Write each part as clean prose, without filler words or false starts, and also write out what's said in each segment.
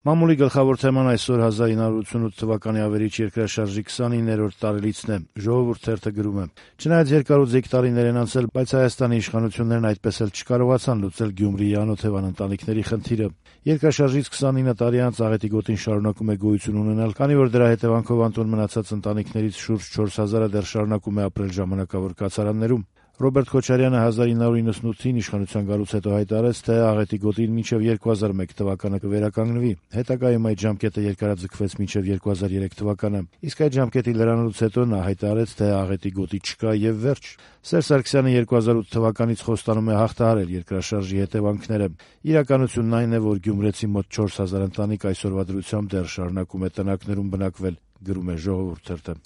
Մամուլի գլխավոր թեման այսօր 1988 թվականի ավերիչ երկրաշարժի 29-րդ տարելիցն է։ Ժողովուրդ թերթը գրում է. «Չնայած երկարուձիգ տարիներ են անցել, բայց Հայաստանի իշխանություններն այդպես էլ չկարողացան լուծել Գյումրիի անօթևան ընտանիքների խնդիրը։ Երկրաշարժից 29 տարի անց աղետի գոտին շարունակում է գոյություն ունենալ, քանի որ դրա հետևանքով անտուն մնացած ընտանիքներից շուրջ 4000-ը դեռ շարունակում է ապրել ժամանակավոր կացարաններում։ Ռոբերտ Քոչարյանը 1998-ին իշխանության գալուց հետո հայտարարեց, թե աղետի գոտին մինչև 2001 թվականը կվերականգնվի։ Հետագայում այդ ժամկետը երկարաձգվեց մինչև 2003 թվականը։ Իսկ այդ ժամկետի լրանալուց հետո նա հայտարարեց, թե աղետի գոտի չկա եւ վերջ։ Սերժ Սարգսյանը 2008 թվականից խոստանում է հաղթահարել երկրաշարժի հետևանքները։ Իրականությունն այն է, որ գյումրեցի մոտ 4000 ընտանիք այսօրվա դրությամբ դեռ շարունակում է տնակներում բնակվել, գրում է Ժողովուրդ թերթը։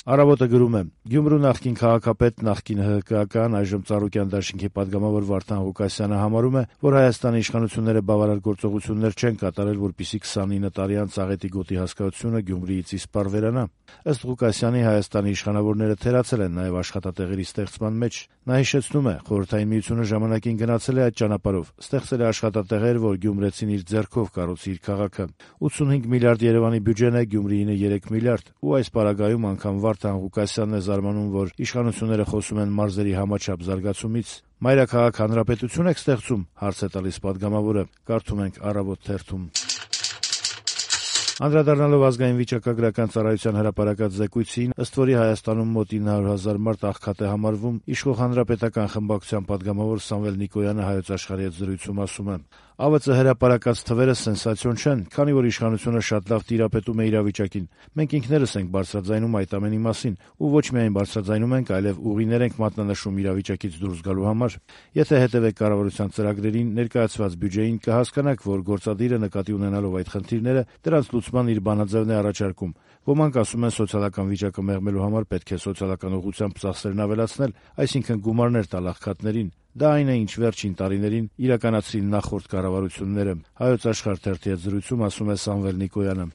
Առավոտը գրում է. Գյումրու նախկին քաղաքապետ, նախկին ՀՀԿ-ական, այժմ Ծառուկյան դաշինքի падգամավոր Վարդան Ղուկասյանը համարում է, որ Հայաստանի իշխանությունները բավարար գործողություններ չեն կատարել, որպեսզի 29 տարի անց աղետի գոտի հասկացությունը Գյումրիից իսպառ վերանա։ Ըստ Ղուկասյանի, Հայաստանի իշխանավորները թերացել են նաև աշխատատեղերի ստեղծման մեջ։ Նա հիշեցնում է, Խորհրդային Միությունը ժամանակին գնացել է այդ ճանապարհով, ստեղծել է աշխատատեղեր, որ գյումրեցին իր ձեռքով կառուցի իր քաղաքը։ 85 միլիարդ Երևանի բյուջեն է, Գյումրիին 3 միլիարդ, ու այս պարագայում անգամ Վարդան Ղուկասյանն է զարմանում, որ իշխանությունները խոսում են մարզերի համաչափ զարգացումից։ Մայրաքաղաք հանրապետություն եք ստեղծում, հարց է տալիս падգամավորը, կարդում ենք Առավոտ թերթում։ Անդրադառնալով ազգային վիճակագրական ծառայության հրապարակած զեկույցին, ըստ որի Հայաստանում մոտ 900,000 մարդ աղքատ է համարվում, իշխող հանրապետական խմբակցության падգամավոր Սամվել Նիկոյանը Հայոց Աշխարհի հետ զրույցում ասում է. «ԱՎԾ հրապարակած թվերը սենսացիոն չեն, քանի որ իշխանությունը շատ լավ տիրապետում է իրավիճակին։ Մենք ինքներս ենք բարձրաձայնում այդ ամենի մասին, ու ոչ միայն բարձրաձայնում ենք, այլև ուղիներ ենք մատնանշում իրավիճակից դուրս գալու համար։ Եթե հետևեք կառավարության ծրագրերին, ներկայացված բյուջեին, կհասկանաք, որ գործադիրը նկատի ունենալով այդ խնդիրները, դրանց լուծման իր բանաձևն է առաջարկում։ Ոմանք ասում են, սոցիալական վիճակը մեղմելու համար պետք է սոցիալական ուղղությամբ ծախսերն ավելացնել, այսինքն գումարներ տալ աղքատներին։ Դա այն է, ինչ վերջին տարիներին իրականացրին նախորդ կառավարությունները», Հայոց Աշխարհ թերթի հետ զրույցում ասում է Սամվել Նիկոյանը։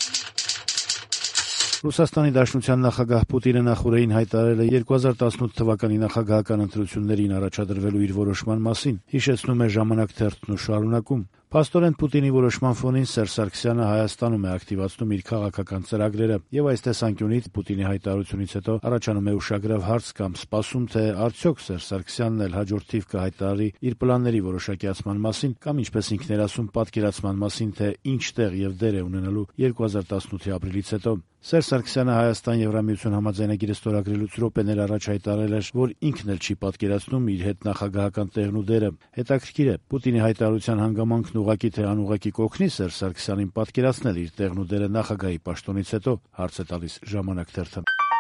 Ռուսաստանի Դաշնության նախագահ Պուտինը նախօրեին հայտարարել է 2018 թվականի նախագահական ընտրություններին առաջադրվելու իր որոշման մասին, հիշեցնում է Ժամանակ թերթն ու շարունակում. «Փաստորեն Պուտինի որոշման ֆոնին Սերժ Սարգսյանը Հայաստանում է ակտիվացնում իր քաղաքական ծրագրերը, եւ այս տեսանկյունից Պուտինի հայտարարությունից հետո առաջանում է ուշագրավ հարց կամ սպասում, թե արդյոք Սերժ Սարգսյանն էլ հաջորդ թիվ կհայտարարի իր պլանների որոշակիացման մասին կամ, ինչպես ինքն էր ասում, պատկերացման մասին, թե ինչ տեղ եւ դեր է ունենալու 2018-ի ապրիլից հետո։ Սերժ Սարգսյանը Հայաստան-Եվրամիություն համաձայնագիրը ստորագրելուց րոպեներ առաջ հայտարարել էր, որ ինքն էլ չի պատկերացնում իր հետ նախագահական տեղն ու դերը։ Հետաքրքիր է, Պուտինի հայտարարության հանգամանքն ուղղակի թե անուղղակի կօգնի Սերժ Սարգսյանին պատկերացնել իր տեղն ու դերը նախագահի պաշտոնից հետո, հարց է տալիս Ժամանակ թերթը։